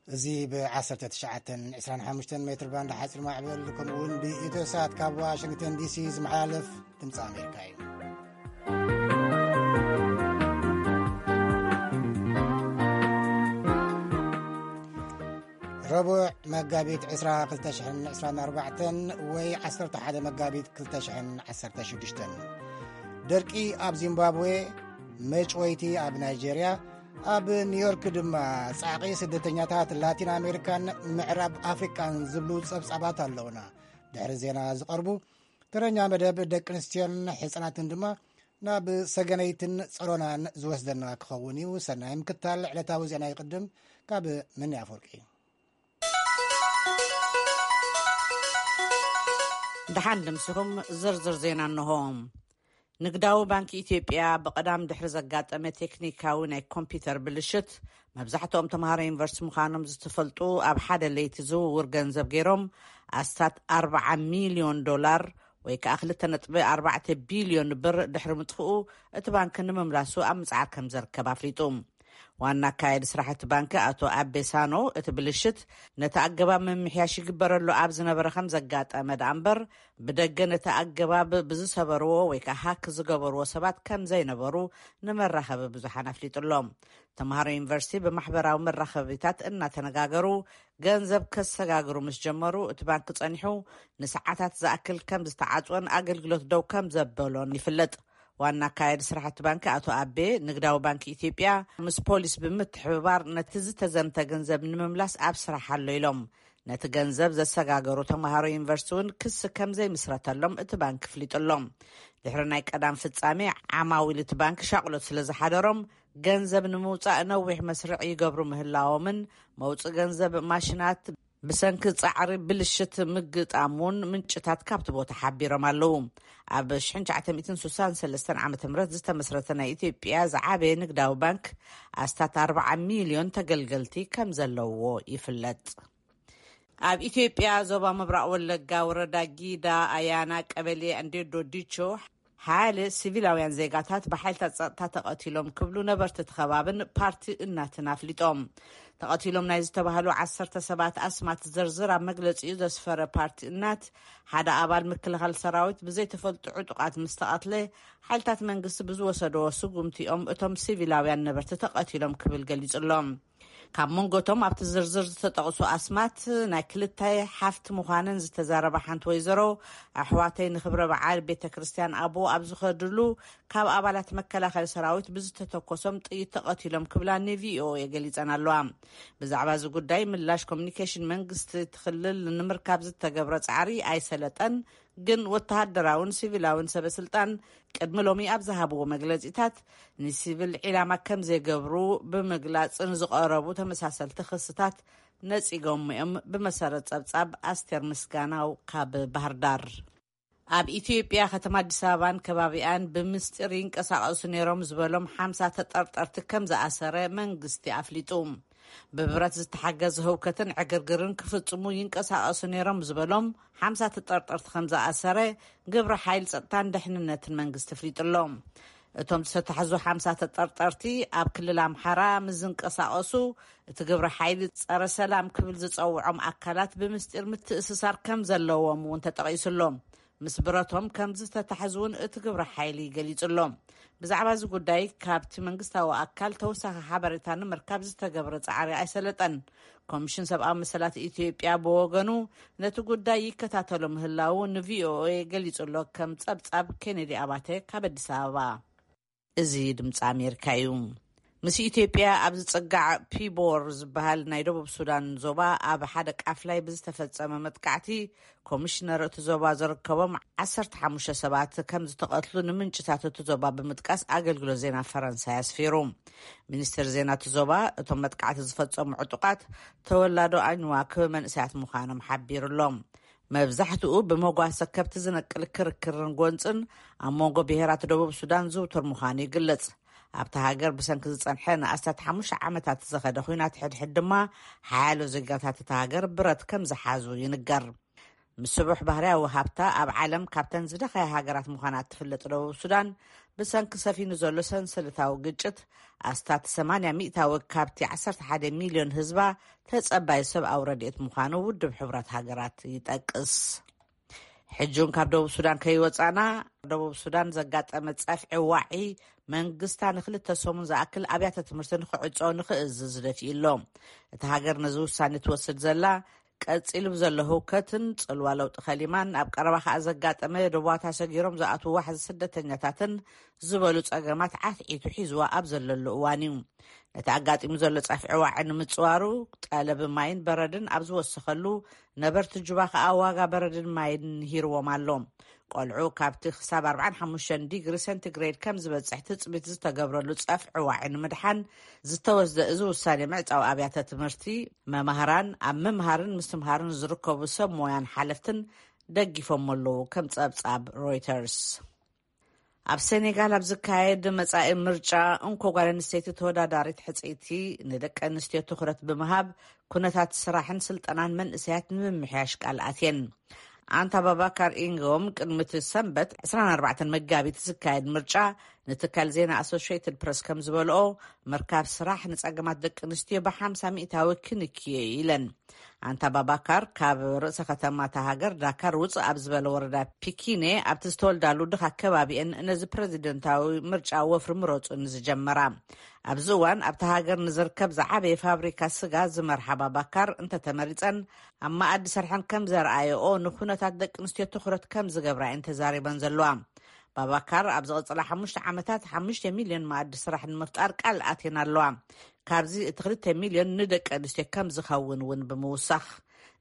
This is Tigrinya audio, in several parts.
እዚ ብ19 25 ሜትር ባንድ ሓፂር ማዕበል ከምኡውን ብኢትዮ ሳት ካብ ዋሽንግተን ዲሲ ዝመሓላለፍ ድምፂ ኣሜሪካ እዩ። ረቡዕ መጋቢት 20 224 ወይ 11 መጋቢት 2016። ደርቂ ኣብ ዚምባብዌ፣ መጭወይቲ ኣብ ናይጄርያ፣ ኣብ ኒውዮርክ ድማ ጻዕቒ ስደተኛታት ላቲን ኣሜሪካን ምዕራብ ኣፍሪቃን ዝብሉ ጸብጻባት ኣለውና። ድሕሪ ዜና ዝቐርቡ ተረኛ መደብ ደቂ ኣንስትዮን ሕጻናትን ድማ ናብ ሰገነይትን ጸሮናን ዝወስደና ክኸውን እዩ። ሰናይ ምክታል። ዕለታዊ ዜና ይቕድም። ካብ መኒ ኣፈወርቂ። ደሓን ድምስኹም። ዝርዝር ዜና እንሆ። ንግዳዊ ባንክ ኢትዮጵያ ብቐዳም ድሕሪ ዘጋጠመ ቴክኒካዊ ናይ ኮምፒውተር ብልሽት፣ መብዛሕትኦም ተምሃሮ ዩኒቨርሲቲ ምዃኖም ዝተፈልጡ፣ ኣብ ሓደ ለይቲ ዝውውር ገንዘብ ገይሮም ኣስታት 40 ሚልዮን ዶላር፣ ወይ ከኣ 2.4 ቢልዮን ብር ድሕሪ ምጥፍኡ፣ እቲ ባንክ ንምምላሱ ኣብ ምጽዓር ከም ዘርከብ ኣፍሊጡ። ዋና ኣካያዲ ስራሕ እቲ ባንክ ኣቶ ኣቤ ሳኖ፣ እቲ ብልሽት ነቲ ኣገባብ ምምሕያሽ ይግበረሉ ኣብ ዝነበረ ከም ዘጋጠመ ደኣ እምበር፣ ብደገ ነቲ ኣገባብ ብዝሰበርዎ ወይ ከኣ ሃክ ዝገበርዎ ሰባት ከም ዘይነበሩ ንመራኸቢ ብዙሓን ኣፍሊጡ ኣሎ። ተምሃሮ ዩኒቨርሲቲ ብማሕበራዊ መራኸቢታት እናተነጋገሩ ገንዘብ ከሰጋግሩ ምስ ጀመሩ፣ እቲ ባንክ ጸኒሑ ንሰዓታት ዝኣክል ከም ዝተዓጽወን ኣገልግሎት ደው ከም ዘበሎን ይፍለጥ። ዋና ኣካያዲ ስራሕቲ ባንክ ኣቶ ኣቤ፣ ንግዳዊ ባንክ ኢትዮጵያ ምስ ፖሊስ ብምትሕብባር ነቲ ዝተዘምተ ገንዘብ ንምምላስ ኣብ ስራሕ ኣሎ ኢሎም። ነቲ ገንዘብ ዘሰጋገሩ ተምሃሮ ዩኒቨርሲቲ እውን ክሲ ከም ዘይምስረተሎም እቲ ባንክ ኣፍሊጡ ኣሎ። ድሕሪ ናይ ቀዳም ፍጻሜ፣ ዓማዊል እቲ ባንክ ሻቕሎት ስለ ዝሓደሮም፣ ገንዘብ ንምውጻእ ነዊሕ መስርዕ ይገብሩ ምህላዎምን፣ መውጽኢ ገንዘብ ማሽናት ብሰንኪ ጻዕሪ ብልሽት ምግጣም እውን ምንጭታት ካብቲ ቦታ ሓቢሮም ኣለዉ። ኣብ 1963 ዓ.ም ዝተመስረተ ናይ ኢትዮጵያ ዝዓበየ ንግዳዊ ባንክ ኣስታት 40 ሚልዮን ተገልገልቲ ከም ዘለውዎ ይፍለጥ። ኣብ ኢትዮጵያ ዞባ ምብራቕ ወለጋ ወረዳ ጊዳ ኣያና ቀበሌ እንዴዶ ዲቾ፣ ሓደ ሲቪላውያን ዜጋታት ብሓይልታት ጸጥታ ተቐቲሎም ክብሉ ነበርቲ እቲ ከባብን ፓርቲ እናትን ኣፍሊጦም። ተቐቲሎም ናይ ዝተባህሉ ዓሰርተ ሰባት ኣስማት ዝርዝር ኣብ መግለጺኡ ዘስፈረ ፓርቲ እናት፣ ሓደ ኣባል ምክልኻል ሰራዊት ብዘይተፈልጡ ዕጡቓት ምስ ተቐትለ፣ ሓይልታት መንግስቲ ብዝወሰደዎ ስጉምቲ እዮም እቶም ሲቪላውያን ነበርቲ ተቐቲሎም ክብል ገሊጹ ኣሎ። ካብ መንጎቶም ኣብቲ ዝርዝር ዝተጠቕሱ ኣስማት፣ ናይ ክልተ ሓፍቲ ምዃነን ዝተዛረባ ሓንቲ ወይዘሮ፣ ኣሕዋተይ ንክብረ በዓል ቤተ ክርስቲያን ኣቦ ኣብ ዝኸድሉ፣ ካብ ኣባላት መከላኸሊ ሰራዊት ብዝተተኮሶም ጥይት ተቐቲሎም ክብላ ንቪኦኤ ገሊጸን ኣለዋ። ብዛዕባ እዚ ጉዳይ ምላሽ ኮሚኒኬሽን መንግስቲ እቲ ክልል ንምርካብ ዝተገብረ ጻዕሪ ኣይሰለጠን። ግን ወተሃደራውን ሲቪላውን ሰበ ስልጣን ቅድሚ ሎሚ ኣብ ዝሃብዎ መግለጺታት፣ ንሲቪል ዒላማ ከም ዘይገብሩ ብምግላጽ ንዝቐረቡ ተመሳሰልቲ ክስታት ነጺጎም እዮም። ብመሰረት ጸብጻብ ኣስቴር ምስጋናው ካብ ባህር ዳር። ኣብ ኢትዮጵያ ከተማ ኣዲስ ኣበባን ከባቢኣን ብምስጢር ይንቀሳቐሱ ነይሮም ዝበሎም ሓምሳ ተጠርጠርቲ ከም ዝኣሰረ መንግስቲ ኣፍሊጡ። ብብረት ዝተሓገዘ ህውከትን ዕግርግርን ክፍጽሙ ይንቀሳቐሱ ነይሮም ዝበሎም ሓምሳ ተጠርጠርቲ ከም ዝኣሰረ ግብረ ሓይል ጸጥታን ደሕንነትን መንግስቲ ኣፍሊጡ ኣሎ። እቶም ዝተታሕዙ ሓምሳ ተጠርጠርቲ ኣብ ክልል ኣምሓራ ምስ ዝንቀሳቐሱ፣ እቲ ግብረ ሓይሊ ጸረ ሰላም ክብል ዝጸውዖም ኣካላት ብምስጢር ምትእስሳር ከም ዘለዎም እውን ተጠቒሱ ኣሎ። ምስ ብረቶም ከም ዝተታሕዙ እውን እቲ ግብረ ሓይሊ ገሊጹ ኣሎ። ብዛዕባ እዚ ጉዳይ ካብቲ መንግስታዊ ኣካል ተወሳኺ ሓበሬታ ንምርካብ ዝተገብረ ጻዕሪ ኣይሰለጠን። ኮሚሽን ሰብኣዊ መሰላት ኢትዮጵያ ብወገኑ፣ ነቲ ጉዳይ ይከታተሎ ምህላዉ ንቪኦኤ ገሊጹ ኣሎ። ከም ጸብጻብ ኬኔዲ ኣባተ ካብ ኣዲስ ኣበባ። እዚ ድምፂ ኣሜሪካ እዩ። ምስ ኢትዮጵያ ኣብ ዝጽጋዕ ፒቦር ዝበሃል ናይ ደቡብ ሱዳን ዞባ፣ ኣብ ሓደ ቃፍላይ ብዝተፈጸመ መጥቃዕቲ፣ ኮሚሽነር እቲ ዞባ ዝርከቦም 15 ሰባት ከም ዝተቐትሉ ንምንጭታት እቲ ዞባ ብምጥቃስ ኣገልግሎት ዜና ፈረንሳይ ኣስፊሩ። ሚኒስትር ዜና እቲ ዞባ፣ እቶም መጥቃዕቲ ዝፈጸሙ ዕጡቓት ተወላዶ ኣኝዋክ መንእሰያት ምዃኖም ሓቢሩ ኣሎ። መብዛሕትኡ ብመጓሰ ከብቲ ዝነቅል ክርክርን ጎንጽን ኣብ መንጎ ብሄራት ደቡብ ሱዳን ዝውቱር ምዃኑ ይግለጽ። ኣብታ ሃገር ብሰንኪ ዝጸንሐ ንኣስታት ሓሙሽተ ዓመታት ዝኸደ ኲናት ሕድሕድ ድማ፣ ሓያሎ ዜጋታት እታ ሃገር ብረት ከም ዝሓዙ ይንገር። ምስቡሕ ባህርያዊ ሃብታ ኣብ ዓለም ካብተን ዝደኸያ ሃገራት ምዃና እትፍለጥ ደቡብ ሱዳን፣ ብሰንኪ ሰፊኑ ዘሎ ሰንሰለታዊ ግጭት ኣስታት ሰማንያ ሚእታዊ ካብቲ ዓሰርተ ሓደ ሚልዮን ህዝባ ተጸባይ ሰብኣዊ ረድኤት ምዃኑ ውድብ ሕቡራት ሃገራት ይጠቅስ። ሕጂ እውን ካብ ደቡብ ሱዳን ከይወጻና፣ ደቡብ ሱዳን ዘጋጠመ ጸፍዒ ዋዒ መንግስታ ንክልተ ሰሙን ዝኣክል ኣብያተ ትምህርቲ ንክዕጾ ንክእዝዝ ደፊኡ ኣሎ። እታ ሃገር ነዚ ውሳኔ ትወስድ ዘላ ቀጺሉ ብዘሎ ህውከትን ጽልዋ ለውጢ ከሊማን ኣብ ቀረባ ከኣ ዘጋጠመ ደቡባታ ሰጊሮም ዝኣትዉ ዋሕዚ ስደተኛታትን ዝበሉ ጸገማት ዓትዒቱ ሒዝዋ ኣብ ዘለሉ እዋን እዩ። ነቲ ኣጋጢሙ ዘሎ ጸፍዒ ዋዒ ንምጽዋሩ ጠለብ ማይን በረድን ኣብ ዝወሰኸሉ፣ ነበርቲ ጁባ ከኣ ዋጋ በረድን ማይን ንሂርዎም ኣሎ። ቆልዑ ካብቲ ክሳብ ኣርባዓን ሓሙሽተን ዲግሪ ሴንቲግሬድ ከም ዝበጽሕ ትጽቢት ዝተገብረሉ ጸፍዒ ዋዒ ንምድሓን ዝተወስደ እዚ ውሳኔ ምዕጻው ኣብያተ ትምህርቲ፣ መማህራን፣ ኣብ ምምሃርን ምስትምሃርን ዝርከቡ ሰብ ሞያን ሓለፍትን ደጊፎም ኣለዉ፣ ከም ጸብጻብ ሮይተርስ። ኣብ ሴኔጋል ኣብ ዝካየድ መጻኢ ምርጫ፣ እንኮ ጓል ኣንስተይቲ ተወዳዳሪት ሕጽይቲ፣ ንደቂ ኣንስትዮ ትኹረት ብምሃብ ኩነታት ስራሕን ስልጠናን መንእሰያት ንምምሕያሽ ቃል ኣትየን። ኣንታ ባባካር ኢንጎም ቅድሚ እቲ ሰንበት ዕስራን ኣርባዕተን መጋቢት ዝካየድ ምርጫ ንትካል ዜና ኣሶሽየትድ ፕረስ ከም ዝበልኦ፣ ምርካብ ስራሕ ንጸገማት ደቂ ኣንስትዮ ብሓምሳ ሚእታዊ ክንክዮ ኢለን። ኣንታ ባባካር ካብ ርእሰ ከተማ እታ ሃገር ዳካር ውጽእ ኣብ ዝበለ ወረዳ ፒኪኔ ኣብቲ ዝተወልዳሉ ድኻ ከባቢአን ነዚ ፕረዚደንታዊ ምርጫ ወፍሪ ምረጹ ንዝጀመራ። ኣብዚ እዋን ኣብታ ሃገር ንዝርከብ ዝዓበየ ፋብሪካ ስጋ ዝመርሓ ባባካር እንተተመሪጸን ኣብ መኣዲ ሰርሐን ከም ዘርኣየኦ ንኩነታት ደቂ ኣንስትዮ ትኹረት ከም ዝገብራ እየን ተዛሪበን ዘለዋ። ባባካር ኣብ ዝቕጽላ ሓሙሽተ ዓመታት ሓሙሽተ ሚልዮን መኣዲ ስራሕ ንምፍጣር ቃል ኣትየን ኣለዋ። ካብዚ እቲ ክልተ ሚልዮን ንደቂ ኣንስትዮ ከም ዝኸውን እውን ብምውሳኽ፣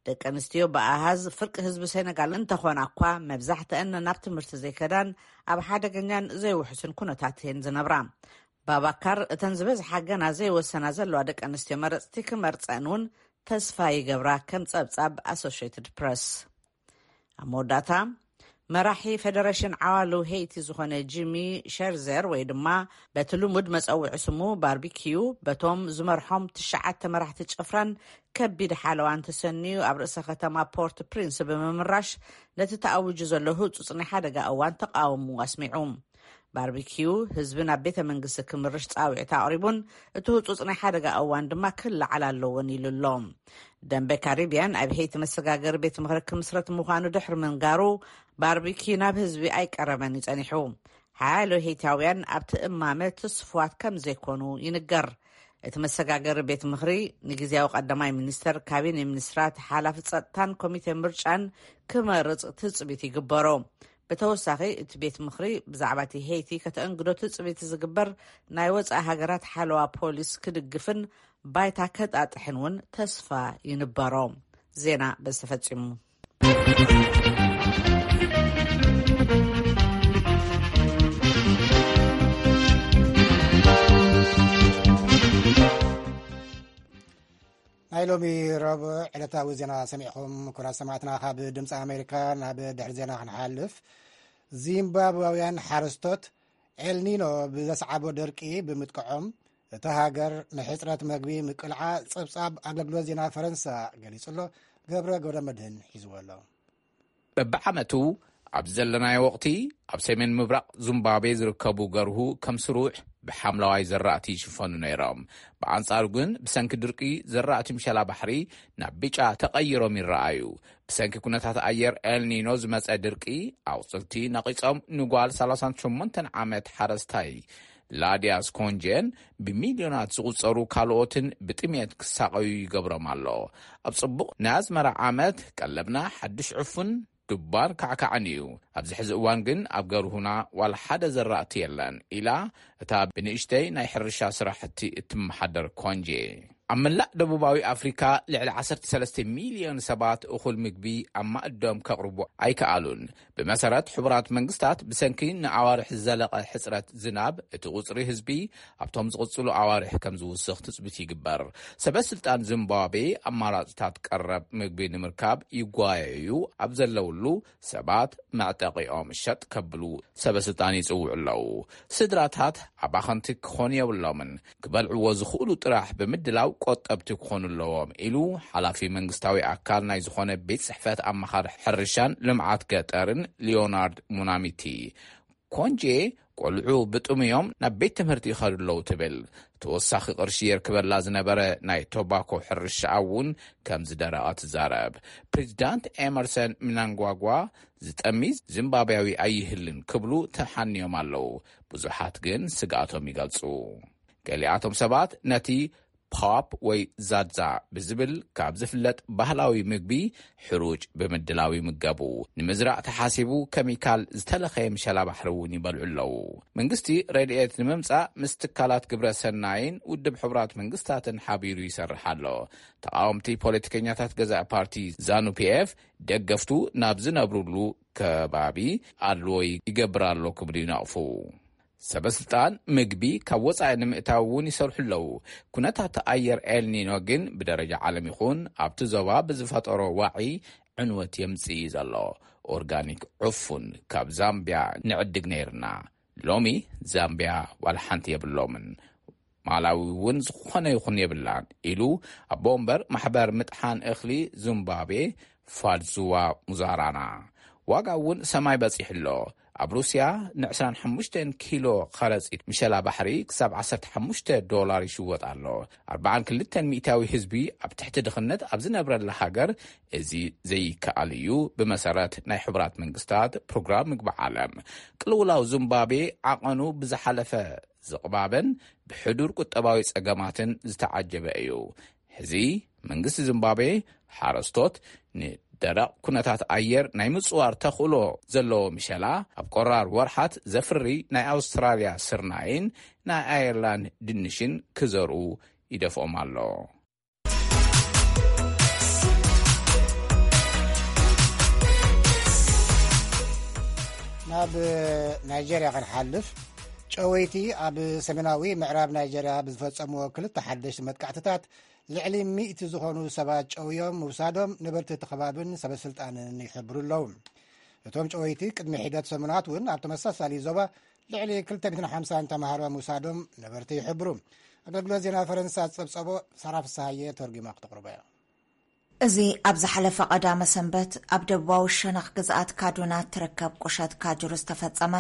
ደቂ ኣንስትዮ ብኣሃዝ ፍርቂ ህዝቢ ሴነጋል እንተኾና እኳ፣ መብዛሕትአን ናብ ትምህርቲ ዘይከዳን ኣብ ሓደገኛን ዘይውሕስን ኩነታት እየን ዝነብራ። ባባካር እተን ዝበዝሓ ገና ዘይወሰና ዘለዋ ደቂ ኣንስትዮ መረጽቲ ክመርጸን እውን ተስፋ ይገብራ፣ ከም ጸብጻብ ኣሶሽየትድ ፕረስ። ኣብ መወዳእታ፣ መራሒ ፌደሬሽን ዓዋሉ ሄይቲ ዝኾነ ጂሚ ሸርዘር፣ ወይ ድማ በቲ ልሙድ መጸውዒ ስሙ ባርቢኪዩ፣ በቶም ዝመርሖም ትሽዓተ መራሕቲ ጭፍራን ከቢድ ሓለዋን ተሰንዩ ኣብ ርእሰ ከተማ ፖርት ፕሪንስ ብምምራሽ፣ ነቲ ተኣዊጁ ዘሎ ህጹጽ ናይ ሓደጋ እዋን ተቓውሞ ኣስሚዑ። ባርቢኪዩ ህዝቢ ናብ ቤተ መንግስቲ ክምርሽ ጻውዒት ኣቕሪቡን፣ እቲ ህጹጽ ናይ ሓደጋ እዋን ድማ ክለዓል ኣለዎን ኢሉ ኣሎ። ደንበ ካሪቢያን ኣብ ሄይቲ መሰጋገሪ ቤት ምኽሪ ክምስረት ምዃኑ ድሕሪ ምንጋሩ፣ ባርቢኪዩ ናብ ህዝቢ ኣይቀረበን እዩ ጸኒሑ። ሓያሎ ሄይታውያን ኣብቲ እማመ ትስፉዋት ከም ዘይኮኑ ይንገር። እቲ መሰጋገሪ ቤት ምኽሪ ንግዝያዊ ቀዳማይ ሚኒስተር፣ ካቢነ ሚኒስትራት፣ ሓላፊ ጸጥታን ኮሚቴ ምርጫን ክመርጽ ትጽቢት ይግበሮ። ብተወሳኺ፣ እቲ ቤት ምኽሪ ብዛዕባ እቲ ሄይቲ ከተእንግዶ ትጽቢት ዝግበር ናይ ወጻኢ ሃገራት ሓለዋ ፖሊስ ክድግፍን ባይታ ከጣጥሕን እውን ተስፋ ይንበሮ። ዜና በዚ ተፈጺሙ። ናይ ሎሚ ረቡዕ ዕለታዊ ዜና ሰሚዕኹም። ኩራት ሰማዕትና ካብ ድምፂ ኣሜሪካ። ናብ ድሕሪ ዜና ክንሓልፍ፣ ዚምባብዋውያን ሓረስቶት ኤልኒኖ ብዘስዓቦ ደርቂ ብምጥቅዖም፣ እታ ሃገር ንሕፅረት መግቢ ምቅልዓ ፀብፃብ ኣገልግሎት ዜና ፈረንሳ ገሊጹ ኣሎ። ገብረ ገብረ መድህን ሒዝዎ ኣሎ። በብዓመቱ ኣብዚ ዘለናዮ ወቕቲ ኣብ ሰሜን ምብራቕ ዚምባብዌ ዝርከቡ ገርሁ ከም ስሩዕ ብሓምለዋይ ዘራእቲ ይሽፈኑ ነይሮም። ብኣንጻሩ ግን ብሰንኪ ድርቂ ዘራእቲ ምሸላ ባሕሪ ናብ ብጫ ተቐይሮም ይረኣዩ። ብሰንኪ ኩነታት ኣየር ኤልኒኖ ዝመጸ ድርቂ ኣቑጽልቲ ነቒጾም ንጓል ሰላሳን ሸሞንተን ዓመት ሓረስታይ ላድያስ ኮንጀን ብሚልዮናት ዝቑጸሩ ካልኦትን ብጥሜት ክሳቐዩ ይገብሮም ኣሎ። ኣብ ጽቡቕ ናይ ኣዝመራ ዓመት ቀለብና ሓድሽ ዕፉን ዱባን ካዕካዕን እዩ። ኣብዚ ሕዚ እዋን ግን ኣብ ገርሁና ዋላ ሓደ ዘራእቲ የለን ኢላ እታ ብንእሽተይ ናይ ሕርሻ ስራሕቲ እትመሓደር ኮንጄ። ኣብ መላእ ደቡባዊ ኣፍሪካ ልዕሊ ዓሰርተ ሰለስተ ሚልዮን ሰባት እኹል ምግቢ ኣብ ማእዶም ከቕርቡ ኣይከኣሉን። ብመሰረት ሕቡራት መንግስታት፣ ብሰንኪ ንኣዋርሕ ዝዘለቐ ሕጽረት ዝናብ፣ እቲ ቁጽሪ ህዝቢ ኣብቶም ዝቕጽሉ ኣዋርሕ ከም ዝውስኽ ትጽቢት ይግበር። ሰበ ስልጣን ዚምባብዌ ኣማራጽታት ቀረብ ምግቢ ንምርካብ ይጓየዩ፣ ኣብ ዘለውሉ ሰባት መዕጠቒኦም ሸጥ ከብሉ ሰበ ስልጣን ይጽውዑ ኣለዉ። ስድራታት ኣባኸንቲ ክኾኑ የብሎምን። ክበልዕዎ ዝኽእሉ ጥራሕ ብምድላው ቆጠብቲ ክኾኑ ኣለዎም ኢሉ ሓላፊ መንግስታዊ ኣካል ናይ ዝኾነ ቤት ጽሕፈት ኣማኻሪ ሕርሻን ልምዓት ገጠርን ሊዮናርድ ሙናሚቲ። ኮንጄ ቆልዑ ብጥሙዮም ናብ ቤት ትምህርቲ ይኸዱ ኣለዉ ትብል። ተወሳኺ ቅርሺ የርክበላ ዝነበረ ናይ ቶባኮ ሕርሻ እውን ከም ዝደረቐ ትዛረብ። ፕሬዚዳንት ኤመርሰን ምናንጓጓ ዝጠሚ ዚምባብያዊ ኣይህልን ክብሉ ተሓንዮም ኣለዉ። ብዙሓት ግን ስግኣቶም ይገልጹ። ገሊኣቶም ሰባት ነቲ ፖፕ ወይ ዛዛ ብዝብል ካብ ዝፍለጥ ባህላዊ ምግቢ ሕሩጭ ብምድላው ይምገቡ። ንምዝራእ ተሓሲቡ ኬሚካል ዝተለኸየ ምሸላ ባሕሪ እውን ይበልዑ ኣለዉ። መንግስቲ ረድኤት ንምምጻእ ምስ ትካላት ግብረ ሰናይን ውድብ ሕቡራት መንግስታትን ሓቢሩ ይሰርሕ ኣሎ። ተቃወምቲ ፖለቲከኛታት ገዛእ ፓርቲ ዛኑ ፒኤፍ ደገፍቱ ናብ ዝነብሩሉ ከባቢ ኣድልዎ ይገብር ኣሎ ክብሉ ይነቕፉ። ሰበስልጣን ምግቢ ካብ ወጻኢ ንምእታው እውን ይሰርሑ ኣለዉ። ኩነታት ኣየር ኤልኒኖ ግን ብደረጃ ዓለም ይኹን ኣብቲ ዞባ ብዝፈጠሮ ዋዒ ዕንወት የምጽእ እዩ ዘሎ። ኦርጋኒክ ዕፉን ካብ ዛምቢያ ንዕድግ ነይርና፣ ሎሚ ዛምቢያ ዋላ ሓንቲ የብሎምን። ማላዊ እውን ዝኾነ ይኹን የብላን ኢሉ ኣቦ ወንበር ማሕበር ምጥሓን እኽሊ ዙምባቤ ፋድዙዋ ሙዛራና። ዋጋ እውን ሰማይ በጺሑ ኣሎ። ኣብ ሩስያ ን25 ኪሎ ከረጺት ምሸላ ባሕሪ ክሳብ 15 ዶላር ይሽወጥ ኣሎ። ኣርባዓን ክልተን ሚእታዊ ህዝቢ ኣብ ትሕቲ ድኽነት ኣብ ዝነብረላ ሃገር እዚ ዘይከኣል እዩ። ብመሰረት ናይ ሕቡራት መንግስታት ፕሮግራም ምግቢ ዓለም፣ ቅልውላው ዙምባቤ ዓቐኑ ብዝሓለፈ ዝቕባበን ብሕዱር ቁጠባዊ ጸገማትን ዝተዓጀበ እዩ። ሕዚ መንግስቲ ዚምባብዌ ሓረስቶት ንደረቕ ኩነታት ኣየር ናይ ምጽዋር ተኽእሎ ዘለዎ ምሸላ ኣብ ቆራር ወርሓት ዘፍሪ ናይ ኣውስትራልያ ስርናይን ናይ ኣየርላንድ ድንሽን ክዘርኡ ይደፍኦም ኣሎ። ናብ ናይጀርያ ክንሓልፍ፣ ጨወይቲ ኣብ ሰሜናዊ ምዕራብ ናይጀርያ ብዝፈጸምዎ ክልተ ሓደሽቲ መጥቃዕትታት ልዕሊ ሚእቲ ዝኾኑ ሰባት ጨውዮም ምውሳዶም ነበርቲ እቲ ከባብን ሰበስልጣንን ይሕብሩ ኣለዉ። እቶም ጨወይቲ ቅድሚ ሒደት ሰሙናት እውን ኣብ ተመሳሳሊ ዞባ ልዕሊ ክልተ ሚእትን ሓምሳን ተማሃሮ ምውሳዶም ነበርቲ ይሕብሩ። ኣገልግሎት ዜና ፈረንሳ ዝጸብጸቦ ሳራ ፍስሃየ ተርጒማ ክተቕርቦ እያ። እዚ ኣብ ዝሓለፈ ቀዳመ ሰንበት ኣብ ደቡባዊ ሸነኽ ግዝኣት ካዱና እትርከብ ቁሸት ካጁር ዝተፈጸመ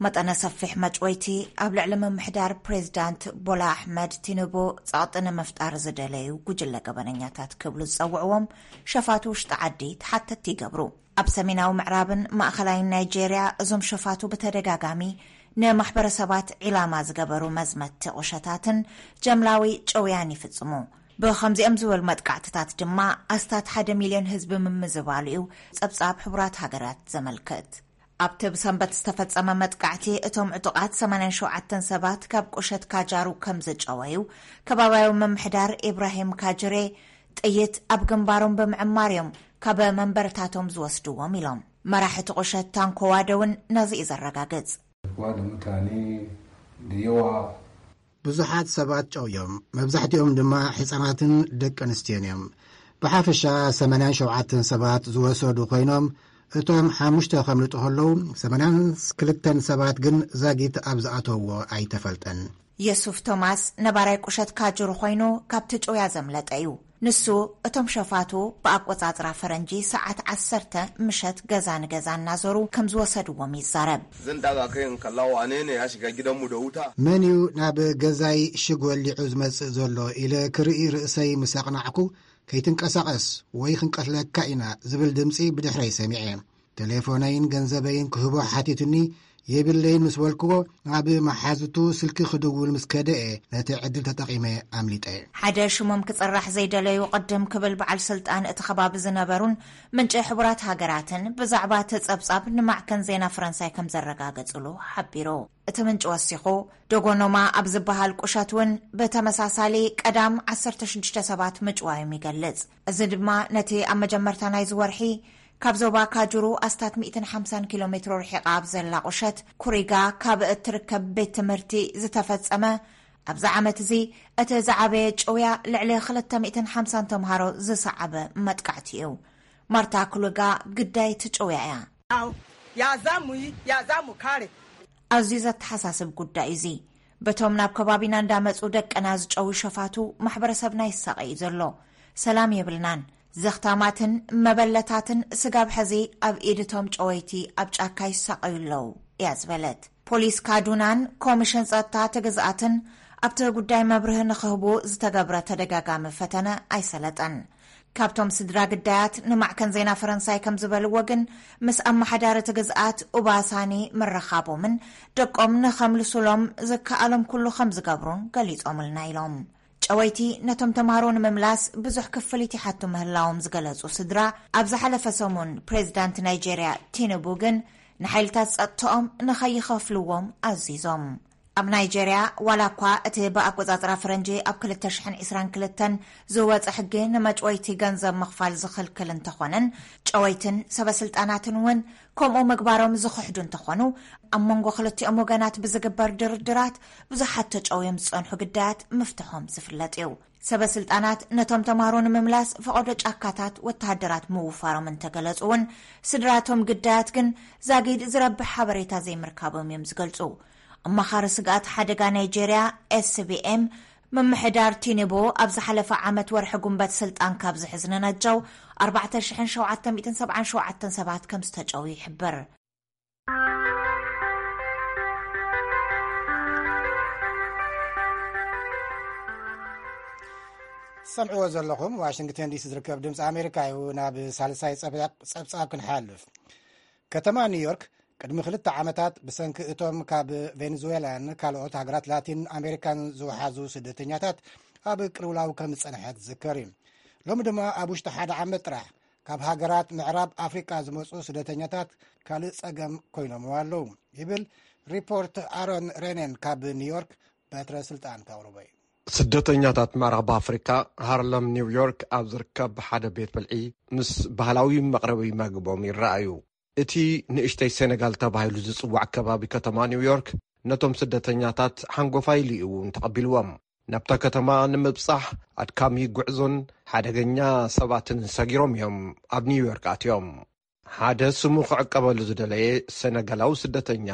መጠነ ሰፊሕ መጭወይቲ፣ ኣብ ልዕሊ ምምሕዳር ፕሬዚዳንት ቦላ ኣሕመድ ቲኑቡ ጸቕጢ ንምፍጣር ዝደለዩ ጉጅለ ገበነኛታት ክብሉ ዝጸውዕዎም ሸፋቱ ውሽጢ ዓዲ ተሓተትቲ ይገብሩ። ኣብ ሰሜናዊ ምዕራብን ማእኸላይን ናይጄርያ እዞም ሸፋቱ ብተደጋጋሚ ንማሕበረሰባት ዒላማ ዝገበሩ መዝመትቲ ቁሸታትን ጀምላዊ ጨውያን ይፍጽሙ። ብኸምዚኦም ዝበሉ መጥቃዕትታት ድማ ኣስታት ሓደ ሚልዮን ህዝቢ ምምዝባሉ እዩ ጸብጻብ ሕቡራት ሃገራት ዘመልክት። ኣብቲ ብሰንበት ዝተፈጸመ መጥቃዕቲ እቶም ዕጡቓት ሰማንያን ሸውዓተን ሰባት ካብ ቁሸት ካጃሩ ከም ዝጨወዩ ከባባያዊ ምምሕዳር ኢብራሂም ካጅሬ ጥይት ኣብ ግንባሮም ብምዕማር እዮም ካብ መንበርታቶም ዝወስድዎም ኢሎም። መራሒ እቲ ቁሸት ታንኮ ዋደ እውን ነዚ እዩ ዘረጋግጽ። Waa dhimataani diyawa ብዙሓት ሰባት ጨውዮም፣ መብዛሕትኦም ድማ ሕጻናትን ደቂ ኣንስትዮን እዮም። ብሓፈሻ ሰማንያን ሸውዓተን ሰባት ዝወሰዱ ኮይኖም፣ እቶም ሓሙሽተ ከምልጡ ከለዉ ሰማንያን ክልተን ሰባት ግን ዛጊት ኣብ ዝኣተውዎ ኣይተፈልጠን። የሱፍ ቶማስ ነባራይ ቁሸት ካጁር ኮይኑ ካብቲ ጭውያ ዘምለጠ እዩ። ንሱ እቶም ሸፋቱ ብኣቆጻጽራ ፈረንጂ ሰዓት ዓሰርተ ምሸት ገዛ ንገዛ እናዞሩ ከም ዝወሰድዎም ይዛረብ። Zan daga kai in kalla wane ne ya shiga gidanmu da wuta. መን እዩ ናብ ገዛይ ሽግ ወሊዑ ዝመጽእ ዘሎ ኢለ ክርኢ ርእሰይ ምስ ኣቕናዕኩ፣ ከይትንቀሳቐስ ወይ ክንቀትለካ ኢና ዝብል ድምጺ ብድሕረይ ሰሚዐ። ቴሌፎነይን ገንዘበይን ክህቦ ሓቲቱኒ፣ የብለይን ምስ በልክዎ፣ ናብ መሓዙቱ ስልኪ ክድውል ምስ ከደ እየ ነቲ ዕድል ተጠቒመ ኣምሊጠ። ሓደ ሽሞም ክጽራሕ ዘይደለዩ ቅድም ክብል በዓል ስልጣን እቲ ከባቢ ዝነበሩን ምንጪ ሕቡራት ሃገራትን ብዛዕባ እቲ ጸብጻብ ንማዕከን ዜና ፈረንሳይ ከም ዘረጋገጽሉ ሓቢሩ። እቲ ምንጪ ወሲኹ፣ ዶጎኖማ ኣብ ዝበሃል ቁሸት እውን ብተመሳሳሊ ቀዳም ዓሰርተ ሽዱሽተ ሰባት ምጭዋዮም ይገልጽ። እዚ ድማ ነቲ ኣብ መጀመርታ ናይዚ ወርሒ ካብ ዞባ ካጁሩ ኣስታት ሚእትን ሓምሳን ኪሎ ሜትሮ ርሒቓ ኣብ ዘላ ቁሸት ኩሪጋ ካብ እትርከብ ቤት ትምህርቲ ዝተፈጸመ፣ ኣብዚ ዓመት እዚ እቲ ዝዓበየ ጭውያ ልዕሊ ክልተ ሚእትን ሓምሳን ተምሃሮ ዝሰዓበ መጥቃዕቲ እዩ። ማርታ ኩሉጋ ግዳይ ትጭውያ እያ። Ya za mu yi, ya za mu kare. ኣዝዩ ዘተሓሳስብ ጉዳይ እዚ። በቶም ናብ ከባቢና እንዳመጹ ደቅና ዝጨዊ ሸፋቱ ማሕበረሰብና ይሳቐ እዩ ዘሎ። ሰላም የብልናን። ዘኽታማትን መበለታትን ስጋብ ሕዚ ኣብ ኢድ እቶም ጨወይቲ ኣብ ጫካ ይሳቐዩ ኣለዉ እያ ዝበለት። ፖሊስ ካዱናን ኮሚሽን ጸጥታ እቲ ግዝኣትን ኣብቲ ጉዳይ መብርሂ ንኽህቡ ዝተገብረ ተደጋጋሚ ፈተነ ኣይሰለጠን። ካብቶም ስድራ ግዳያት ንማዕከን ዜና ፈረንሳይ ከም ዝበልዎ ግን፣ ምስ ኣመሓዳሪ እቲ ግዝኣት ኡባሳኒ ምርኻቦምን ደቆም ንኸምልሱሎም ዝከኣሎም ኩሉ ከም ዝገብሩን ገሊጾምልና ኢሎም። ጨወይቲ ነቶም ተምሃሮ ንምምላስ ብዙሕ ክፍሊት ይሓቱ ምህላዎም ዝገለጹ ስድራ፣ ኣብ ዝሓለፈ ሰሙን ፕሬዚዳንት ናይጄርያ ቲኑቡ ግን ንሓይልታት ጸጥታኦም ንኸይኸፍልዎም ኣዚዞም። ኣብ ናይጄርያ፣ ዋላ እኳ እቲ ብኣቆጻጽራ ፈረንጂ ኣብ ክልተ ሽሕን ዕስራን ክልተን ዝወጸ ሕጊ ንመጭወይቲ ገንዘብ ምኽፋል ዝኽልክል እንተኾነን፣ ጨወይትን ሰበ ስልጣናትን እውን ከምኡ ምግባሮም ዝኽሕዱ እንተኾኑ፣ ኣብ መንጎ ክልቲኦም ወገናት ብዝግበር ድርድራት ብዙሓት ተጨውዮም ዝጸንሑ ግዳያት ምፍትሖም ዝፍለጥ እዩ። ሰበ ስልጣናት ነቶም ተምሃሮ ንምምላስ ፈቐዶ ጫካታት ወተሃደራት ምውፋሮም እንተገለጹ እውን፣ ስድራቶም ግዳያት ግን ዛጊድ ዝረብሕ ሓበሬታ ዘይምርካቦም እዮም ዝገልጹ። ኣማኻሪ ስግኣት ሓደጋ ናይጄርያ ኤስቢኤም፣ ምምሕዳር ቲኒቦ ኣብ ዝሓለፈ ዓመት ወርሒ ጉንበት ስልጣን ካብ ዝሕዝ ንነጃው ኣርባዕተ ሽሕን ሸውዓተ ሚእትን ሰብዓን ሸውዓተን ሰባት ከም ዝተጨው ይሕብር። ሰምዕዎ ዘለኹም ዋሽንግተን ዲሲ ዝርከብ ድምፂ ኣሜሪካ እዩ። ናብ ሳልሳይ ፀብፃብ ክንሓልፍ። ከተማ ኒውዮርክ ቅድሚ ክልተ ዓመታት ብሰንኪ እቶም ካብ ቬኔዙዌላን ካልኦት ሃገራት ላቲን ኣሜሪካን ዝወሓዙ ስደተኛታት ኣብ ቅልውላው ከም ዝጸንሐት ዝዝከር እዩ። ሎሚ ድማ ኣብ ውሽጢ ሓደ ዓመት ጥራሕ ካብ ሃገራት ምዕራብ ኣፍሪቃ ዝመጹ ስደተኛታት ካልእ ጸገም ኮይኖም ኣለዉ ይብል ሪፖርት ኣሮን ሬነን ካብ ኒውዮርክ። በትረ ስልጣን ከቕርቦ እዩ። ስደተኛታት ምዕራብ ኣፍሪካ፣ ሃርለም ኒውዮርክ ኣብ ዝርከብ ሓደ ቤት ብልዒ ምስ ባህላዊ መቕረቢ መግቦም ይረኣዩ። እቲ ንእሽተይ ሴነጋል ተባሂሉ ዝጽዋዕ ከባቢ ከተማ ኒውዮርክ ነቶም ስደተኛታት ሓንጎፋይ ኢሉ እዩ እውን ተቐቢልዎም። ናብታ ከተማ ንምብጻሕ ኣድካሚ ጉዕዞን ሓደገኛ ሰባትን ሰጊሮም እዮም ኣብ ኒውዮርክ ኣትዮም። ሓደ ስሙ ክዕቀበሉ ዝደለየ ሴነጋላዊ ስደተኛ፣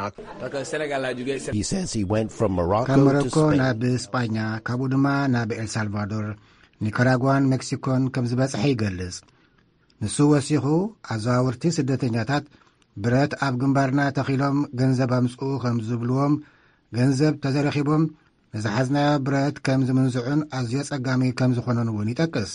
He says he went from ካብ Morocco to ሞሮኮ Spain. ናብ ስጳኛ፣ ካብኡ ድማ ናብ ኤልሳልቫዶር፣ ኒካራጓን ሜክሲኮን ከም ዝበጽሐ ይገልጽ። ንሱ ወሲኹ፣ ኣዘዋወርቲ ስደተኛታት ብረት ኣብ ግንባርና ተኺሎም ገንዘብ ኣምጽኡ ከም ዝብልዎም፣ ገንዘብ ተዘረኺቦም ንዝሓዝናዮ ብረት ከም ዝምንዝዑን ኣዝዮ ጸጋሚ ከም ዝኾነን እውን ይጠቅስ።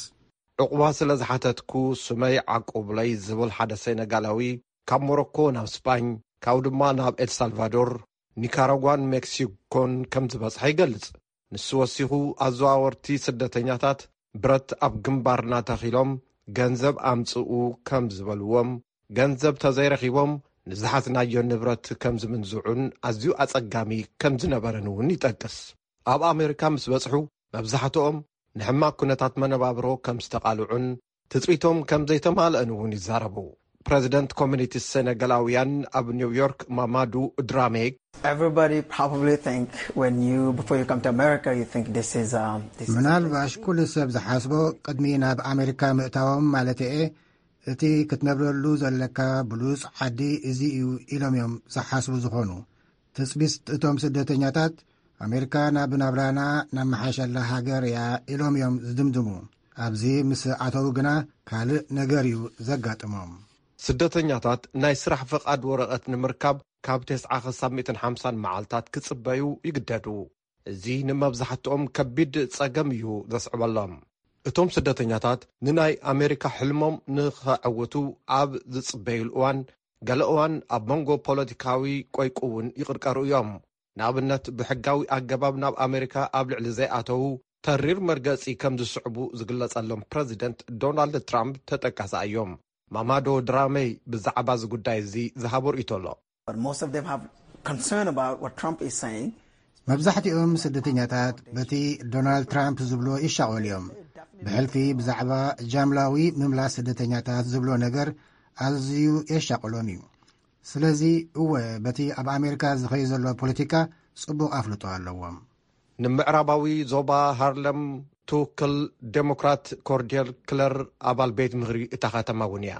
ዕቑባ ስለ ዝሓተትኩ ስመይ ዓቁብለይ ዝብል ሓደ ሴነጋላዊ፣ ካብ ሞሮኮ ናብ ስጳኝ፣ ካብኡ ድማ ናብ ኤልሳልቫዶር፣ ኒካራጓን ሜክሲኮን ከም ዝበጽሐ ይገልጽ። ንሱ ወሲኹ፣ ኣዘዋወርቲ ስደተኛታት ብረት ኣብ ግንባርና ተኺሎም ገንዘብ ኣምጽኡ ከም ዝበልዎም፣ ገንዘብ ተዘይረኺቦም ንዝሓዝናዮ ንብረት ከም ዝምንዝዑን ኣዝዩ ኣጸጋሚ ከም ዝነበረን እውን ይጠቅስ። ኣብ ኣሜሪካ ምስ በጽሑ፣ መብዛሕትኦም ንሕማቕ ኩነታት መነባብሮ ከም ዝተቓልዑን ትጽቢቶም ከም ዘይተማልአን እውን ይዛረቡ። ፕረዚደንት ኮሚኒቲ ሴነጋላውያን ኣብ ኒውዮርክ፣ ማማዱ ድራሜ፣ Everybody probably think when you, before you come to America, you think this is, um, this is ምናልባሽ ኩሉ ሰብ ዝሓስቦ ቅድሚ ናብ ኣሜሪካ ምእታዎም ማለት እየ፣ እቲ ክትነብረሉ ዘለካ ብሉጽ ዓዲ እዚ እዩ ኢሎም እዮም ዝሓስቡ ዝኾኑ። ትጽቢት እቶም ስደተኛታት ኣሜሪካ ናብ ናብራና ነመሓሸላ ሃገር እያ ኢሎም እዮም ዝድምድሙ። ኣብዚ ምስ ኣተዉ ግና ካልእ ነገር እዩ ዘጋጥሞም። ስደተኛታት ናይ ስራሕ ፍቓድ ወረቐት ንምርካብ ካብ ተስዓ ክሳብ ሚእትን ሓምሳን መዓልታት ክጽበዩ ይግደዱ። እዚ ንመብዛሕትኦም ከቢድ ጸገም እዩ ዘስዕበሎም። እቶም ስደተኛታት ንናይ ኣሜሪካ ሕልሞም ንኸዐውቱ ኣብ ዝጽበዩሉ እዋን፣ ገለ እዋን ኣብ መንጎ ፖለቲካዊ ቆይቁ እውን ይቕርቀሩ እዮም። ንኣብነት፣ ብሕጋዊ ኣገባብ ናብ ኣሜሪካ ኣብ ልዕሊ ዘይኣተዉ ተሪር መርገጺ ከም ዝስዕቡ ዝግለጸሎም ፕረዚደንት ዶናልድ ትራምፕ ተጠቃሲ እዮም። ማማዶ ድራመይ ብዛዕባ እዚ ጉዳይ እዚ ዝሃቦ ርእይቶ ኣሎ። But most of them have concern about what Trump is saying. መብዛሕትኦም ስደተኛታት በቲ ዶናልድ ትራምፕ ዝብሎ ይሻቐሉ እዮም። ብሕልፊ ብዛዕባ ጃምላዊ ምምላስ ስደተኛታት ዝብሎ ነገር ኣዝዩ የሻቕሎም እዩ። ስለዚ እወ፣ በቲ ኣብ ኣሜሪካ ዝኸይ ዘሎ ፖለቲካ ጽቡቕ ኣፍልጦ ኣለዎም። ንምዕራባዊ ዞባ ሃርለም ትውክል ዴሞክራት ኮርዴል ክለር ኣባል ቤት ምኽሪ እታ ከተማ እውን እያ።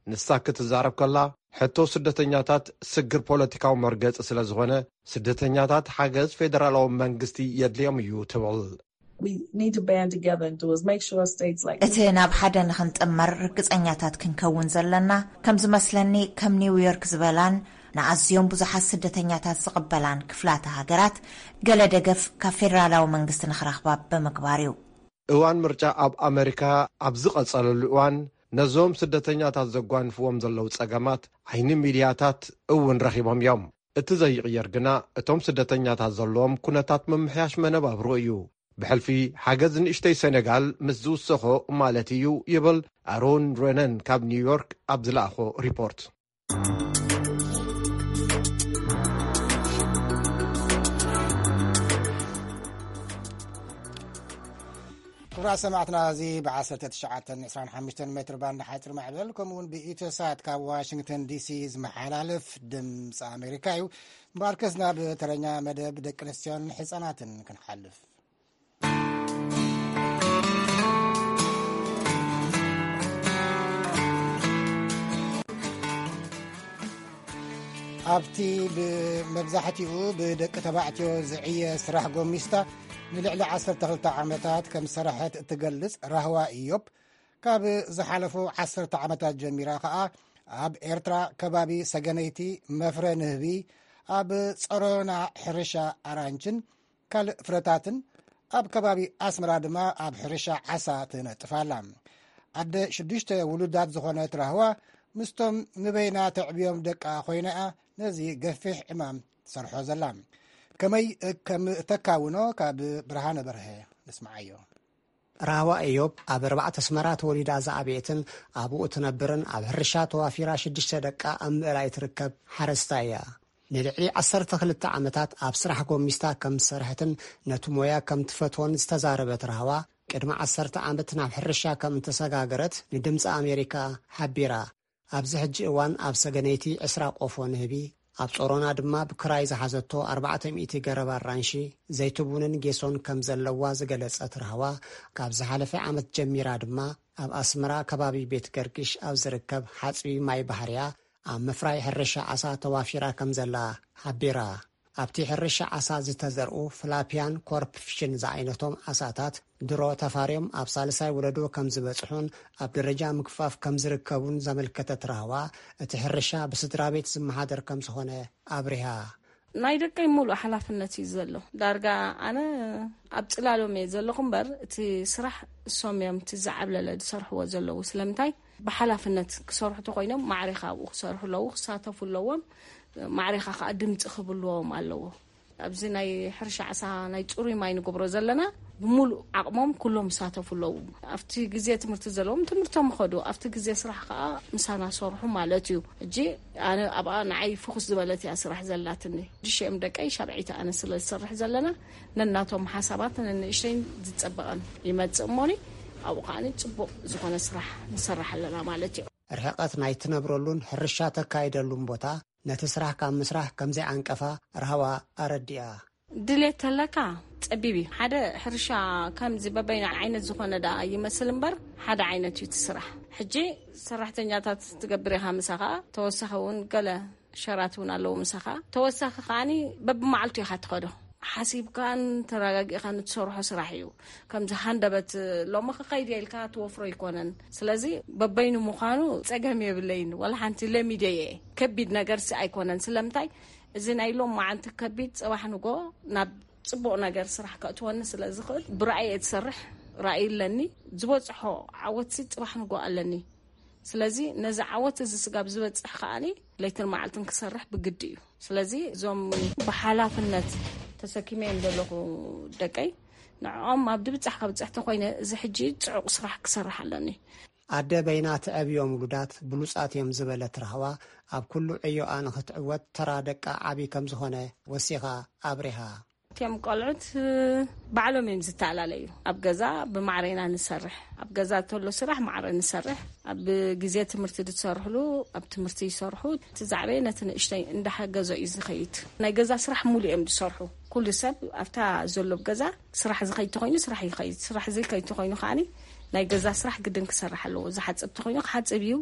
ንሳ ክትዛረብ ከላ፣ ሕቶ ስደተኛታት ስግር ፖለቲካዊ መርገጺ ስለ ዝኾነ፣ ስደተኛታት ሓገዝ ፌደራላዊ መንግስቲ የድልዮም እዩ ትብል። We need to band together and do is make sure states like እቲ ናብ ሓደ ንኽንጥመር ርግጸኛታት ክንከውን ዘለና፣ ከም ዝመስለኒ ከም ኒውዮርክ ዝበላን ንኣዝዮም ብዙሓት ስደተኛታት ዝቕበላን ክፍላተ ሃገራት፣ ገለ ደገፍ ካብ ፌደራላዊ መንግስቲ ንኽረኽባ ብምግባር እዩ። እዋን ምርጫ ኣብ ኣመሪካ ኣብ ዝቐጸለሉ እዋን፣ ነዞም ስደተኛታት ዘጓንፍዎም ዘለዉ ጸገማት ዓይኒ ሚድያታት እውን ረኺቦም እዮም። እቲ ዘይቕየር ግና፣ እቶም ስደተኛታት ዘለዎም ኩነታት ምምሕያሽ መነባብሮ እዩ። ብሕልፊ ሓገዝ ንእሽተይ ሰነጋል ምስ ዝውሰኾ ማለት እዩ፣ ይብል ኣሮን ረነን ካብ ኒውዮርክ ኣብ ዝለኣኾ ሪፖርት። ክቡራት ሰማዕትና፣ እዚ ብ19 25 ሜትር ባንድ ሓፂር ማዕበል፣ ከምኡ እውን ብኢትዮሳት ካብ ዋሽንግተን ዲሲ ዝመሓላለፍ ድምፂ ኣሜሪካ እዩ። እምበኣርከስ ናብ ተረኛ መደብ ደቂ ኣንስትዮን ህፃናትን ክንሓልፍ። ኣብቲ ብመብዛሕትኡ ብደቂ ተባዕትዮ ዝዕየ ስራሕ ጎሚስታ ንልዕሊ 12 ዓመታት ከም ዝሰረሐት እትገልጽ ራህዋ ኢዮብ፣ ካብ ዝሓለፉ ዓሰርተ ዓመታት ጀሚራ ከኣ ኣብ ኤርትራ ከባቢ ሰገነይቲ መፍረ ንህቢ፣ ኣብ ጸሮና ሕርሻ ኣራንችን ካልእ ፍረታትን፣ ኣብ ከባቢ ኣስመራ ድማ ኣብ ሕርሻ ዓሳ ትነጥፍ ኣላ። ኣደ ሽዱሽተ ውሉዳት ዝኾነት ራህዋ፣ ምስቶም ንበይና ተዕብዮም ደቃ ኮይና እያ ነዚ ገፊሕ ዕማም ትሰርሖ ዘላ። ከመይ ከም እተካውኖ ካብ ብርሃነ በርሀ ንስምዓዮ። ራህዋ እዮብ ኣብ ኣርባዕተ ኣስመራ ተወሊዳ ዝዓበየትን ኣብኡ ትነብርን ኣብ ሕርሻ ተዋፊራ ሽዱሽተ ደቃ ኣብ ምእላይ ትርከብ ሓረስታይ እያ። ንልዕሊ ዓሰርተ ክልተ ዓመታት ኣብ ስራሕ ጎሚስታ ከም ዝሰርሐትን ነቲ ሞያ ከም ትፈትዎን ዝተዛረበት ራህዋ፣ ቅድሚ ዓሰርተ ዓመት ናብ ሕርሻ ከም እተሰጋገረት ንድምፂ ኣሜሪካ ሓቢራ። ኣብዚ ሕጂ እዋን ኣብ ሰገነይቲ ዕስራ ቆፎ ንህቢ፣ ኣብ ጾሮና ድማ ብክራይ ዝሓዘቶ ኣርባዕተ ሚእቲ ገረብ ኣራንሺ፣ ዘይትቡንን ጌሶን ከም ዘለዋ ዝገለጸት ራህዋ፣ ካብ ዝሓለፈ ዓመት ጀሚራ ድማ ኣብ ኣስመራ ከባቢ ቤት ገርግሽ ኣብ ዝርከብ ሓጽቢ ማይ ባሕርያ ኣብ ምፍራይ ሕርሻ ዓሳ ተዋፊራ ከም ዘላ ሓቢራ። ኣብቲ ሕርሻ ዓሳ ዝተዘርኡ ፍላፒያን ኮርፕ ፊሽን ዝዓይነቶም ዓሳታት ድሮ ተፋርዮም ኣብ ሳልሳይ ወለዶ ከም ዝበጽሑን ኣብ ደረጃ ምግፋፍ ከም ዝርከቡን ዘመልከተት ራህዋ፣ እቲ ሕርሻ ብስድራ ቤት ዝመሓደር ከም ዝኾነ ኣብሪሃ። ናይ ደቀይ ሙሉእ ሓላፍነት እዩ ዘሎ። ዳርጋ ኣነ ኣብ ጽላሎም እየ ዘለኹ እምበር፣ እቲ ስራሕ እሶም እዮም እቲ ዝዓብለለ ዝሰርሕዎ ዘለዉ። ስለምንታይ? ብሓላፍነት ክሰርሑ ተኾይኖም ማዕሬኻ ኣብኡ ክሰርሑ ኣለዉ፣ ክሳተፉ ኣለዎም። ማዕሬኻ ከዓ ድምፂ ክብልዎም ኣለዎ። ኣብዚ ናይ ሕርሻ ዓሳ ናይ ጽሩይ ማይ ንገብሮ ዘለና፣ ብሙሉእ ዓቕሞም ኩሎም ይሳተፉ ኣለዉ። ኣብቲ ግዜ ትምህርቲ ዘለዎም ትምህርቶም ይኸዱ፣ ኣብቲ ግዜ ስራሕ ከዓ ምሳና ሰርሑ ማለት እዩ። ሕጂ ኣነ ኣብኣ ንዓይ ፍኹስ ዝበለት እያ ስራሕ ዘላትኒ። ሽዱሽተኦም ደቀይ ሻርዒት ኣነ ስለ ዝሰርሕ ዘለና፣ ነናቶም ሓሳባት ነንእሽተይን ዝጸበቐን ይመጽእ እሞኒ፣ ኣብኡ ከዓኒ ጽቡቕ ዝኾነ ስራሕ ንሰርሕ ኣለና ማለት እዩ። ርሕቐት ናይ ትነብረሉን ሕርሻ ተካይደሉን ቦታ ነቲ ስራሕ ካብ ምስራሕ ከም ዘይዓንቀፋ ራህዋ ኣረዲኣ። ድሌት ተለካ ጸቢብ እዩ። ሓደ ሕርሻ ከምዚ በበይኑ ዓይነት ዝኾነ ደኣ ይመስል እምበር፣ ሓደ ዓይነት እዩ እቲ ስራሕ። ሕጂ ሰራሕተኛታት ትገብር ኢኻ፣ ምሳኻ ተወሳኺ እውን ገለ ሸራት እውን ኣለዉ ምሳኻ። ተወሳኺ ከዓኒ በብመዓልቱ ኢኻ ትኸዶ። ሓሲብካን ተረጋጊእካን እትሰርሖ ስራሕ እዩ። ከምዚ ሃንደበት ሎሚ ክኸይድ እየ ኢልካ ትወፍሮ ኣይኮነን። ስለዚ በበይኑ ምዃኑ ጸገም የብለይን። ዋላ ሓንቲ ለሚደ እየ። ከቢድ ነገርሲ ኣይኮነን። ስለምንታይ? እዚ ናይ ሎም መዓልቲ ከቢድ ጽባሕ ንጎ ናብ ጽቡቕ ነገር ስራሕ ከእትወኒ ስለ ዝኽእል ብራእይ እየ ዝሰርሕ። ራእይ ኣለኒ። ዝበጽሖ ዓወትሲ ጽባሕ ንጎ ኣለኒ። ስለዚ ነዚ ዓወት እዚ ስጋብ ዝበጽሕ ከኣኒ ለይትን መዓልትን ክሰርሕ ብግዲ እዩ። ስለዚ እዞም ብሓላፍነት ተሰኪመዮም ዘለኹ ደቀይ፣ ንዕኦም ኣብ ድብጻሕ ከብጽሕ ተኾይነ፣ እዚ ሕጂ ጽዑቕ ስራሕ ክሰርሕ ኣለኒ። ኣደ በይና ትዕብዮም ውሉዳት ብሉጻት እዮም ዝበለት ራህዋ፣ ኣብ ኩሉ ዕዮኣ ንኽትዕወት ተራ ደቃ ዓቢ ከም ዝኾነ ወሲኻ ኣብሪሃ። እቲኦም ቆልዑት ባዕሎም እዮም ዝተላለዩ። ኣብ ገዛ ብማዕረ ኢና ንሰርሕ። ኣብ ገዛ ተሎ ስራሕ ማዕረ ንሰርሕ። ኣብ ግዜ ትምህርቲ ዝሰርሕሉ ኣብ ትምህርቲ ይሰርሑ። እቲ ዛዕበየ ነቲ ንእሽተይ እንዳሓገዞ እዩ ዝኸይድ። ናይ ገዛ ስራሕ ሙሉ እዮም ዝሰርሑ። ኩሉ ሰብ ኣብታ ዘሎ ገዛ ስራሕ ዝኸይድ ተኾይኑ ስራሕ ይኸይድ። ስራሕ ዘይከይድ ተኾይኑ ከዓኒ ናይ ገዛ ስራሕ ግድን ክሰርሕ ኣለዎ። ዝሓጽብ ተኾይኑ ክሓጽብ እዩ።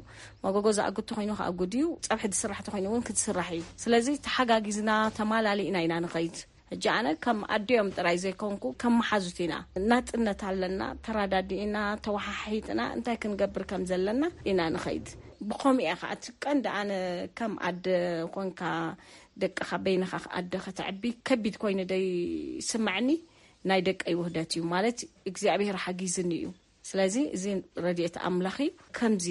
መጎጎ ዝኣጉድ ተኾይኑ ክኣጉድ እዩ። ጸብሒ ዝስራሕ ተኾይኑ እውን ክትስራሕ እዩ። ስለዚ ተሓጋጊዝና ተማላሊእና ኢና ንኸይድ። ሕጂ ኣነ ከም ኣዲኦም ጥራይ ዘይኮንኩ ከም መሓዙት ኢና። ናጽነት ኣለና። ተራዳዲእና ተወሓሒጥና እንታይ ክንገብር ከም ዘለና ኢና ንኸይድ። ብኸምኡ እያ ከዓ እቲ ቀንዲ። ኣነ ከም ኣደ ኮንካ ደቅኻ በይንኻ ኣደ ከተዕቢ ከቢድ ኮይኑ ደይ ስምዐኒ። ናይ ደቀይ ውህደት እዩ ማለት እግዚኣብሔር ሓጊዝኒ እዩ። ስለዚ እዚ ረድኤት ኣምላኽ እዩ። ከምዚ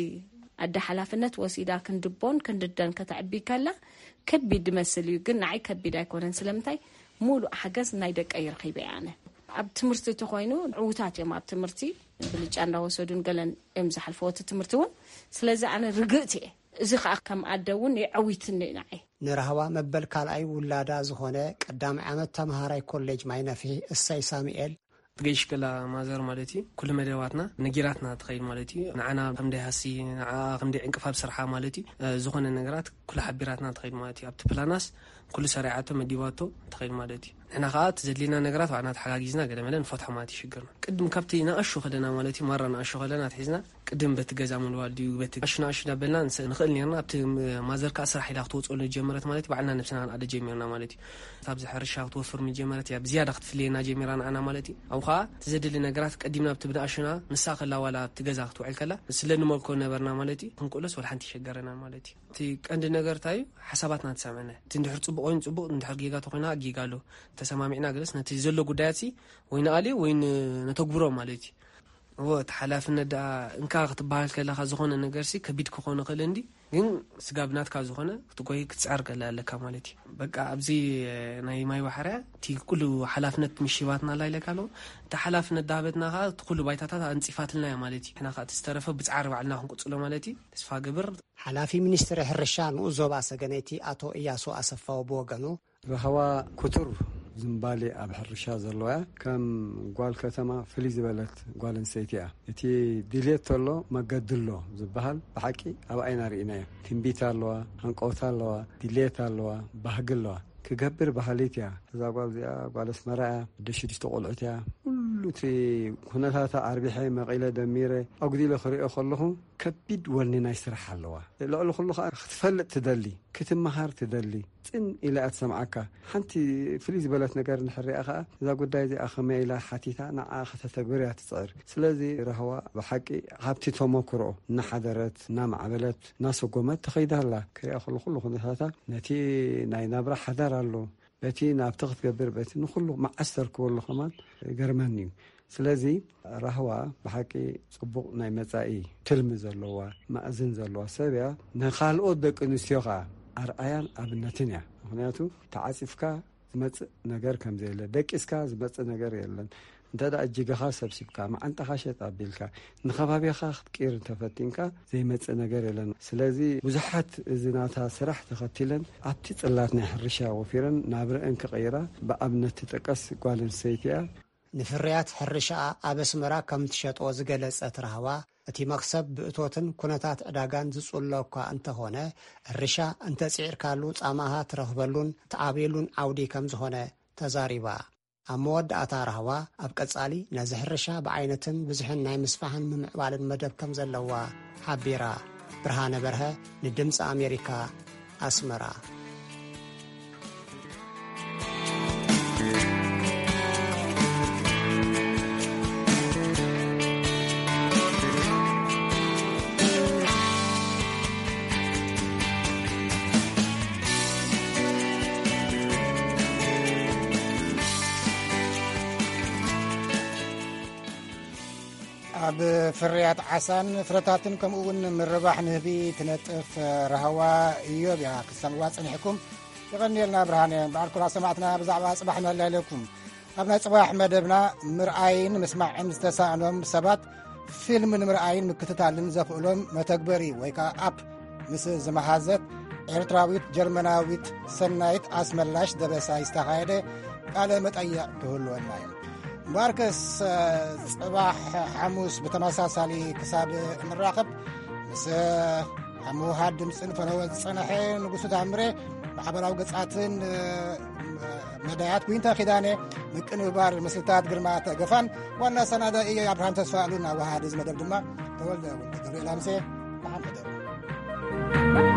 ኣደ ሓላፍነት ወሲዳ ክንድቦን ክንድደን ከተዕቢ ከላ ከቢድ ይመስል እዩ፣ ግን ንዓይ ከቢድ ኣይኮነን። ስለምንታይ? ሙሉእ ሓገዝ ናይ ደቀይ ረኺበ እየ ኣነ። ኣብ ትምህርቲ ተኮይኑ ዕዉታት እዮም ኣብ ትምህርቲ፣ ብልጫ እንዳወሰዱን ገለን እዮም ዝሓልፈዎ እቲ ትምህርቲ እውን። ስለዚ ኣነ ርግእቲ እየ። እዚ ከዓ ከም ኣደ እውን የዐዊትኒ እዩ ንዓይ። ንራህዋ መበል ካልኣይ ውላዳ ዝኾነ ቀዳማይ ዓመት ተምሃራይ ኮሌጅ ማይነፍሒ እሰይ ሳሙኤል፣ ትገይሽ ከላ ማዘር ማለት እዩ፣ ኩሉ መደባትና ነጊራትና ትኸይድ ማለት እዩ። ንዓና ከም ደይ ሃሲ፣ ንዓ ከም ደይ ዕንቅፋብ ስርሓ ማለት እዩ። እ፣ ዝኾነ ነገራት ኩሉ ሓቢራትና ትኸይድ ማለት እዩ። ኣብቲ ፕላናስ ኩሉ ሰሪዓቶ መዲባቶ ትኸይድ ማለት እዩ። ንሕና ከዓ እቲ ዘድልየና ነገራት ባዕልና ተሓጋጊዝና ገለ መለ ንፈትሖ ማለት እዩ ሽግርና። ቅድም ካብቲ ንኣሹ ከለና ማለት እዩ፣ ማራ ንኣሹ ከለና ኣትሒዝና ቅድም በቲ ገዛ ምልዋል ድዩ፣ በቲ ኣሹ ንኣሹ ዳበልና ንስ-፣ ንኽእል ነርና። ኣብቲ ም-፣ ማዘር ከዓ ስራሕ ኢላ ክትወፅኦ ጀመረት ማለት እዩ፣ ባዕልና ነብስና ክንኣደ ጀሚርና ማለት እዩ። ኣብዚ ሕርሻ ክትወፍር ምጀመረት እያ ብዝያዳ ክትፍልየና ጀሚራ ንዓና ማለት እዩ። ኣብኡ ከዓ እቲ ዘድሊ ነገራት ቀዲምና ኣብቲ ብንኣሹና ንሳ ከላ ዋላ ኣብቲ ገዛ ክትውዕል ከላ ስለ ንመልኮ ነበርና ማለት እዩ። ክንክእሎስ ወላ ሓንቲ ይሸገረና ማለት እዩ። እቲ ቀንዲ ነገር እንታይ እዩ? ሓሳባትና ትሰምዐና። እቲ እንድሕር ጽቡቕ ኮይኑ ጽቡቕ፣ እንድሕር ጌጋ ተኾይና ጌጋ ኣሎ። ተሰማሚዕና ገለስ ነቲ ዘሎ ጉዳያት ሲ ወይ ንኣልዮ ወይ ን-፣ ነተግብሮ ማለት እዩ። እዎ፣ እቲ ሓላፍነት ደኣ እንካ ክትበሃል ከለኻ ዝኾነ ነገር ሲ ከቢድ ክኾን ይኽእል እንዲ፣ ግን ስጋብ ናትካ ዝኾነ ክትጎይ ክትጽዕር ከላ ኣለካ ማለት እዩ። በቃ ኣብዚ ናይ ማይ ባሕርያ እቲ ኩሉ ሓላፍነት ምሽባትና ኣላ ኢለካ ኣለኹ። እቲ ሓላፍነት ዳሃበትና ኸዓ እቲ ኩሉ ባይታታት ኣንጺፋትልና እያ ማለት እዩ። ንሕና ኸዓ እቲ ዝተረፈ ብጻዕሪ ባዕልና ክንቅጽሎ ማለት እዩ። ተስፋ ገብር። ሓላፊ ሚኒስትሪ ሕርሻ ንኡስ ዞባ ሰገነይቲ ኣቶ እያሱ ኣሰፋው ብወገኑ፣ ራህዋ ክቱር ዝምባሌ ኣብ ሕርሻ ዘለዋ እያ። ከም ጓል ከተማ ፍልይ ዝበለት ጓል ኣንስተይቲ እያ። እቲ ድልየት ተሎ መገዲ ኣሎ ዝበሃል ብሓቂ ኣብ ዓይና ርኢናዮ። ትንቢት ኣለዋ፣ ሃንቀውታ ኣለዋ፣ ድልየት ኣለዋ፣ ባህጊ ኣለዋ። ክገብር ባህሊት እያ። እዛ ጓል እዚኣ ጓል ኣስመራ እያ። ወደ ሽዱሽተ ቆልዑት እያ። ኩሉ እቲ ኩነታታ ኣርቢሐ መቒለ ደሚረ ኣጉዲለ ክሪኦ ከለኹ ከቢድ ወኒ ናይ ስራሕ ኣለዋ። ልዕሊ ኩሉ ከዓ ክትፈልጥ ትደሊ፣ ክትመሃር ትደሊ። ጽን ኢላ እያ ትሰምዓካ። ሓንቲ ፍልይ ዝበለት ነገር እንድሕር ሪኣ ከዓ እዛ ጉዳይ እዚኣ ከመይ ኢላ ሓቲታ ንዓ ከተተግብር እያ ትጽዕር። ስለዚ ራህዋ ብሓቂ ሃብቲ ተመክሮ እናሓደረት እናማዕበለት እናሰጎመት ተኸይዳ ኣላ። ክሪኣ ከሎ ኩሉ ኩነታታ ነቲ ናይ ናብራ ሓዳር ኣሎ፣ በቲ ናብቲ ክትገብር በቲ ንኩሉ መዓስ ተርክበሉ ከማን ይገርመኒ እዩ። ስለዚ ራህዋ ብሓቂ ጽቡቕ ናይ መጻኢ ትልሚ ዘለዋ፣ ማእዝን ዘለዋ ሰብ እያ። ንኻልኦት ደቂ ኣንስትዮ ኸኣ ኣርኣያን ኣብነትን እያ። ምኽንያቱ ተዓጺፍካ ዝመጽእ ነገር ከም ዘየለ፣ ደቂስካ ዝመጽእ ነገር የለን። እንተ ደኣ እጅግኻ ሰብሲብካ፣ መዓንጣኻ ሸጥ ኣቢልካ፣ ንኸባቢኻ ክትቅይር እንተፈቲንካ ዘይመጽእ ነገር የለን። ስለዚ ብዙሓት እዚ ናታ ስራሕ ተኸቲለን ኣብቲ ጽላት ናይ ሕርሻ ወፊረን ናብረአን ክቕይራ ብኣብነት ትጥቀስ ጓል ኣንስተይቲ እያ። ንፍርያት ሕርሻኣ ኣብ ኣስመራ ከም ትሸጦ ዝገለጸት ራህዋ፣ እቲ መኽሰብ ብእቶትን ኩነታት ዕዳጋን ዝጽሎ እኳ እንተኾነ፣ ሕርሻ እንተጽዒርካሉ ጻማኻ ትረኽበሉን ትዓብየሉን ዓውዲ ከም ዝኾነ ተዛሪባ። ኣብ መወዳእታ ራህዋ ኣብ ቀጻሊ ነዚ ሕርሻ ብዓይነትን ብዝሕን ናይ ምስፋሕን ምምዕባልን መደብ ከም ዘለዋ ሓቢራ። ብርሃነ በርሀ ንድምጺ ኣሜሪካ ኣስመራ። ኣብ ፍርያት ዓሳን ፍረታትን ከምኡ እውን ምርባሕ ንህቢ ትነጥፍ ራህዋ እዮብ እያ ክትሰምዕዋ ጸኒሕኩም። የቐንየልና ብርሃነ። በዓል ኩራ ሰማዕትና ብዛዕባ ጽባሕ ነላይለኩም። ኣብ ናይ ጽባሕ መደብና ምርኣይን ምስማዕን ዝተሳእኖም ሰባት ፊልም ንምርኣይን ምክትታልን ዘኽእሎም መተግበሪ ወይ ከዓ ኣፕ ምስ ዝመሃዘት ኤርትራዊት ጀርመናዊት ሰናይት ኣስመላሽ ደበሳይ ዝተኻየደ ቃለ መጠይቕ ክህልወና እዩ። እምበኣርከስ፣ ጽባሕ ሓሙስ ብተመሳሳሊ ክሳብ ንራኸብ፣ ምስ ኣብ ምውሃድ ድምፅን ፈነወ ዝፀንሐ ንጉሱ ታምሬ፣ ማሕበራዊ ገፃትን መዳያት ዊንታ ኪዳነ፣ ምቅንባር ምስልታት ግርማ ተገፋን ዋና ኣሰናዳኢ ኣብርሃም ተስፋ ኣሉን ኣዋሃዲ እዚ መደብ ድማ ተወልደ ወልደ ገብርኤል ኣምሴ። ደሓን ሕደሩ።